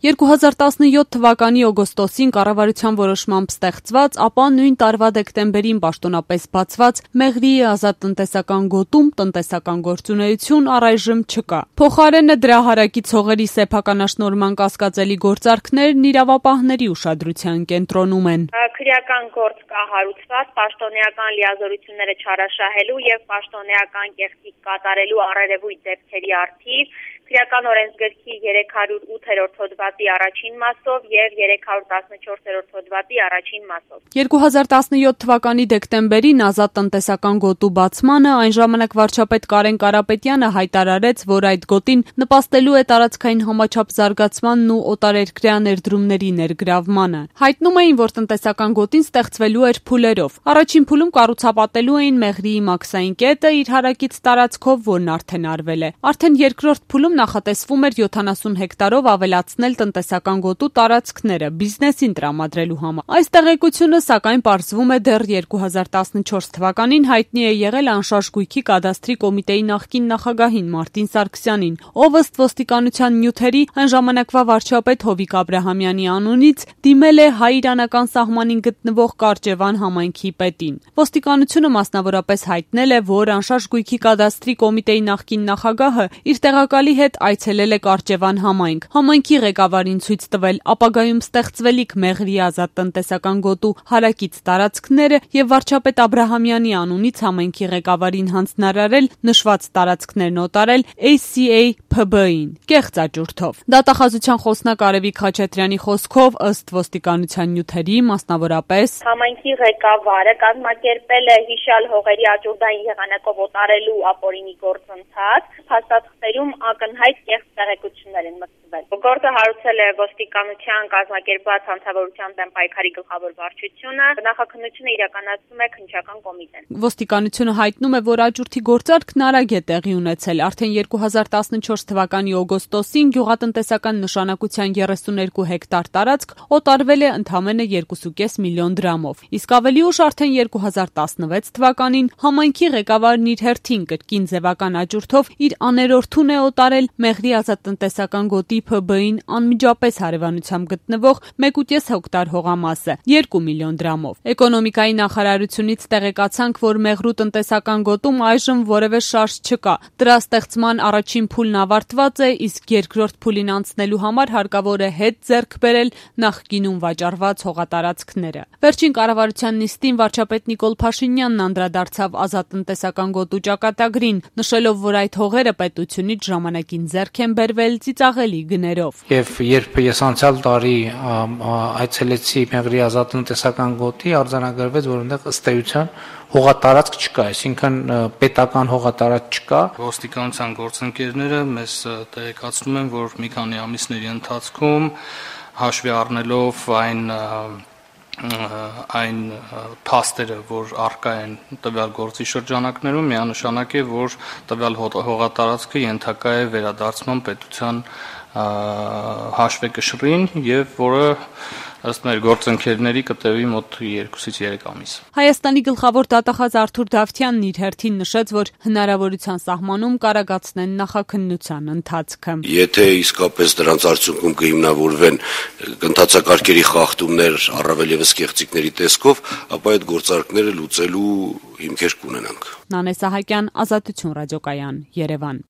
2017 թվականի օգոստոսին կառավարության որոշմամբ ստեղծված, ապա նույն տարվա դեկտեմբերին պաշտոնապես բացված Մեղրիի ազատ տնտեսական գոտում տնտեսական գործունեություն առայժմ չկա։ Փոխարենը դրա հարակից հողերի սեփականաշնորհման կասկածելի գործարքներն իրավապահների ուշադրության կենտրոնում են։ Քրեական գործ կա հարուցված պաշտոնեական լիազորությունները չարաշահելու եւ պաշտոնեական կեղծիք կատարելու առերևույթ դեպքերի առթիվ Քրեական օրենսգրքի 308-րդ հոդվածի առաջին մասով եւ 314-րդ հոդվածի առաջին մասով։ 2017 թվականի դեկտեմբերին ազատ տնտեսական գոտու բացմանը այն ժամանակ վարչապետ Կարեն Կարապետյանը հայտարարեց, որ այդ գոտին նպաստելու է տարածքային համաչափ զարգացմանն ու օտարերկրյա ներդրումների ներգրավմանը։ Հայտնում էին, որ տնտեսական գոտին ստեղծվելու էր փուլերով։ Առաջին փուլում կառուցապատելու էին Մեղրիի մաքսային կետը իր հարակից տարածքով, որն արդեն արվել է։ Արդեն երկրորդ փուլում նախատեսվում էր 70 հեկտարով ավելացնել տնտեսական գոտու տարածքները բիզնեսին տրամադրելու համար։ Այս տեղեկությունը սակայն պարզվում է դեռ 2014 թվականին հայտնի է եղել անշարժ գույքի կադաստրի կոմիտեի նախկին նախագահին Մարտին Սարգսյանին, ով ըստ ոստիկանության նյութերի այն ժամանակվա վարչապետ Հովիկ Աբրահամյանի անունից դիմել է հայ-իրանական սահմանին գտնվող Կարճևան համայնքի պետին։ Ոստիկանությունը մասնավորապես հայտնել է, որ անշարժ գույքի կադաստրի կոմիտեի նախկին նախագահը իր տեղակալի հետ այցելել է Կարճևան համայնք, համայնքի ղեկավարին ցույց տվել ապագայում ստեղծվելիք Մեղրիի ազատ տնտեսական գոտու հարակից տարածքները եւ վարչապետ Աբրահամյանի անունից համայնքի ղեկավարին հանձնարարել նշված տարածքներն օտարել ACA ՓԲ-ին կեղծ աճուրդով։ Դատախազության խոսնակ Արևիկ Խաչատրյանի խոսքով ըստ ոստիկանության նյութերի մասնավորապես համայնքի ղեկավարը կազմակերպել է հիշյալ հողերի աճուրդային եղանակով օտարելու ապօրինի գործընթաց, փաստաթղթերում ակնհայտ կեղծ տեղեկություններ են մտցվել։ Գործը հարուցել է ոստիկանության կազմակերպված հանցավորության դեմ պայքարի գլխավոր վարչությունը, նախաքննությունը իրականացնում է քննչական կոմիտեն։ Ոստիկանությունը հայտնում է, որ աճուրդի գործարքն արագ է տեղի ունեցել։ Արդեն 2014 թվականի օգոստոսին գյուղատնտեսական նշանակության 32 հեկտար տարածք օտարվել է ընդամենը 2.5 միլիոն դրամով։ Իսկ ավելի ուշ արդեն 2016 թվականին համայնքի ղեկավարն իր հերթին կրկին ձևական աճուրդով իր աներորդուն է օտարել Մեղրիի ազատ տնտեսական գոտի ՓԲ-ին անմիջապես հարևանությամբ գտնվող 1.5 հեկտար հողամասը 2 միլիոն դրամով։ Էկոնոմիկայի նախարարությունից տեղեկացանք, որ Մեղրու տնտեսական գոտում այժմ որևէ շարժ չկա։ Դրա ստեղծման առաջին փուլն ավարտված է, իսկ երկրորդ փուլին անցնելու համար հարկավոր է հետ ձեռք բերել նախկինում վաճառված հողատարածքները։ Վերջին կառավարության նիստին վարչապետ Նիկոլ Փաշինյանն անդրադարձավ ազատ տնտեսական գոտու ճակատագրին, նշելով, որ այդ հողերը պետությունից ժամանակին ձեռք են բերվել ծիծաղելի գներով։ Եվ երբ ես անցյալ տարի այցելեցի Մեղրիի ազատ տնտեսական գոտի, արձանագրվեց, որ այնտեղ ըստ էության հողատարածք չկա, այսինքն պետական հողատարածք չկա։ Ոստիկանության գործընկերները մեզ տեղեկացնում են, որ մի քանի ամիսների ընթացքում հաշվի առնելով այն փաստերը, որ առկա են տվյալ գործի շրջանակներում, միանշանակ է, որ տվյալ հողատարածքը ենթակա է վերադարձման պետության հաշվեկշռին եւ որը ըստ մեր գործընկերների կտևի մոտ 2-ից 3 ամիս։ Հայաստանի գլխավոր դատախազ Արթուր Դավթյանն իր հերթին նշեց, որ հնարավորության սահմանում կարագացնեն նախաքննության ընթացքը։ Եթե իսկապես դրանց արդյունքում կհիմնավորվեն ընթացակարգերի խախտումներ, առավել եւս կեղծիքների տեսքով, ապա այդ գործարքները լուծելու հիմքեր կունենանք։ Նանե Սահակյան, Ազատություն ռադիոկայան, Երևան։